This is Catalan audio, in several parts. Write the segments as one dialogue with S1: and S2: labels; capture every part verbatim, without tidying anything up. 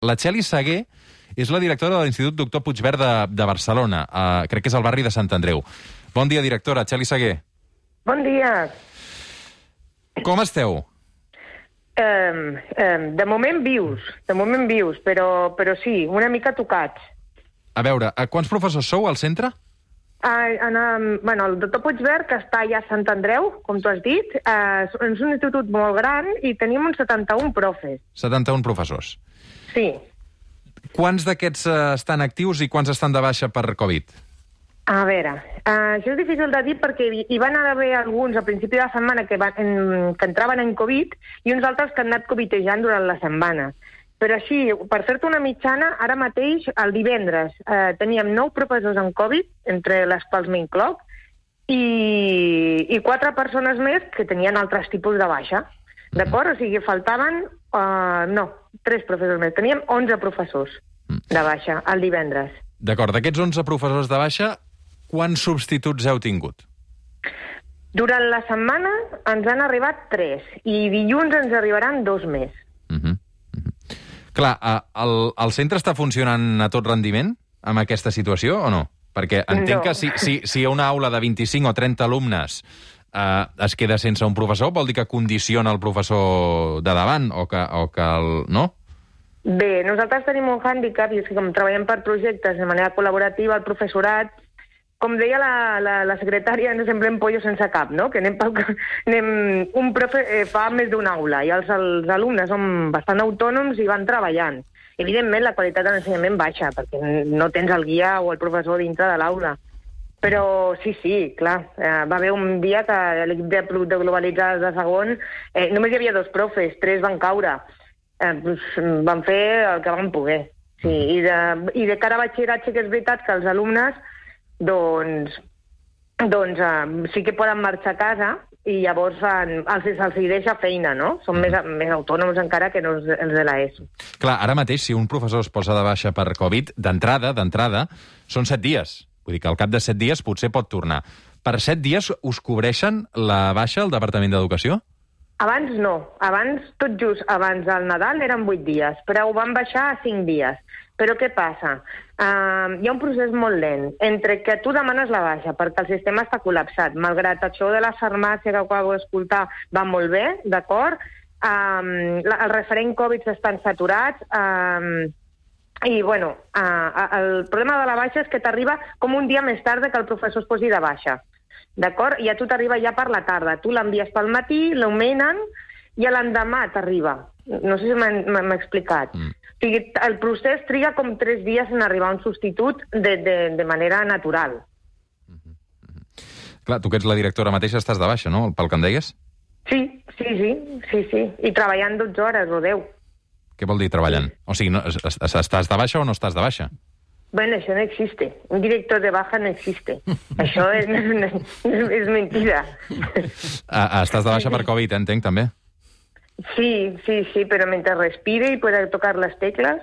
S1: La Txeli Sagué és la directora de l'Institut Doctor Puigverd de, de Barcelona. Uh, crec que és al barri de Sant Andreu. Bon dia, directora. Txeli Sagué.
S2: Bon dia.
S1: Com esteu?
S2: Um, um, de moment vius, de moment vius, però, però sí, una mica tocats.
S1: A veure, a quants professors sou al centre?
S2: Uh, en, um, bueno, el doctor Puigverd, que està allà a Sant Andreu, com tu has dit, uh, és un institut molt gran i tenim uns setanta-un profes.
S1: setanta-un professors.
S2: Sí.
S1: Quants d'aquests uh, estan actius i quants estan de baixa per Covid?
S2: A veure, uh, això és difícil de dir perquè hi van haver alguns al principi de la setmana que, van, en, que entraven en Covid i uns altres que han anat covidejant durant la setmana. Però així, per fer-te una mitjana, ara mateix, el divendres, eh, teníem nou professors en Covid, entre les quals m'incloc, i, i quatre persones més que tenien altres tipus de baixa. D'acord? O sigui, faltaven, eh, no, tres professors més. Teníem onze professors de baixa el divendres.
S1: D'acord, d'aquests onze professors de baixa, quants substituts heu tingut?
S2: Durant la setmana ens han arribat tres, i dilluns ens arribaran dos més.
S1: Mhm. Uh-huh. Clar, el, el centre està funcionant a tot rendiment amb aquesta situació o no? Perquè entenc no. que si, si, si hi ha una aula de vint-i-cinc o trenta alumnes eh, es queda sense un professor, vol dir que condiciona el professor de davant o que, o que el... no?
S2: Bé, nosaltres tenim un hàndicap, i és que com treballem per projectes de manera col·laborativa, el professorat, com deia la, la, la secretària, no semblem pollo sense cap, no? Que anem pel, anem, un profe eh, fa més d'una aula i els, els alumnes són bastant autònoms i van treballant. Evidentment, la qualitat de l'ensenyament baixa, perquè no tens el guia o el professor dintre de l'aula. Però sí, sí, clar, eh, va haver un dia que l'equip de, de globalitzades de segon, eh, només hi havia dos profes, tres van caure. Eh, doncs, van fer el que van poder. Sí, i, de, I de cara a batxillerat sí que és veritat que els alumnes doncs, doncs uh, sí que poden marxar a casa i llavors uh, els, els hi deixa feina, no? Són més, més autònoms encara que no els, els de l'ESO.
S1: Clar, ara mateix, si un professor es posa de baixa per Covid, d'entrada, d'entrada, són set dies. Vull dir que al cap de set dies potser pot tornar. Per set dies us cobreixen la baixa al Departament d'Educació?
S2: Abans no. Abans, tot just abans del Nadal, eren vuit dies, però ho van baixar a cinc dies. Però què passa? Uh, hi ha un procés molt lent entre que tu demanes la baixa perquè el sistema està col·lapsat. Malgrat això de la farmàcia que acabo d'escoltar va molt bé, d'acord? Um, la, el referent Covid estan saturats um, i, bueno, uh, el problema de la baixa és que t'arriba com un dia més tard que el professor es posi de baixa. D'acord? I a tu t'arriba ja per la tarda. Tu l'envies pel matí, l'augmenten i a l'endemà t'arriba. No sé si m'he explicat. Mm. O sigui, el procés triga com tres dies en arribar a un substitut de, de, de manera natural.
S1: Mm -hmm. Clar, tu que ets la directora mateixa estàs de baixa, no?, pel que em deies?
S2: Sí, sí, sí, sí, sí. I treballant dotze hores o deu.
S1: Què vol dir treballant? Sí. O sigui, no, estàs de baixa o no estàs de baixa?
S2: Bueno, això no existe. Un director de baja no existe. Això és, és, és mentida.
S1: Ah, estàs de baixa per Covid, entenc, també?
S2: Sí, sí, sí, però mentre respire i pueda tocar les tecles,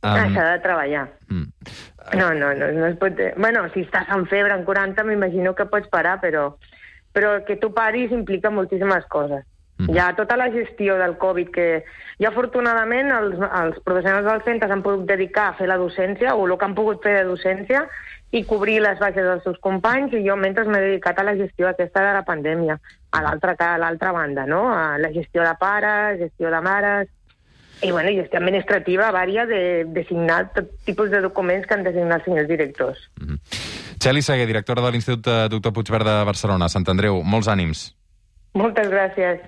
S2: um... s'ha de treballar. Mm. No, no, no, no es pot... Bueno, si estàs amb febre en quaranta, m'imagino que pots parar, però, però que tu paris implica moltíssimes coses. Mm. Hi ha tota la gestió del Covid, que ja afortunadament els, els professionals del centre s'han pogut dedicar a fer la docència, o el que han pogut fer de docència, i cobrir les baixes dels seus companys, i jo mentre m'he dedicat a la gestió aquesta de la pandèmia, a l'altra a l'altra banda, no? A la gestió de pares, gestió de mares, i bueno, gestió administrativa vària de, de signar tot tipus de documents que han de signar els senyors directors.
S1: Mm-hmm. Txeli Sagué, directora de l'Institut Doctor Puigverd de Barcelona, Sant Andreu, molts ànims.
S2: Moltes gràcies.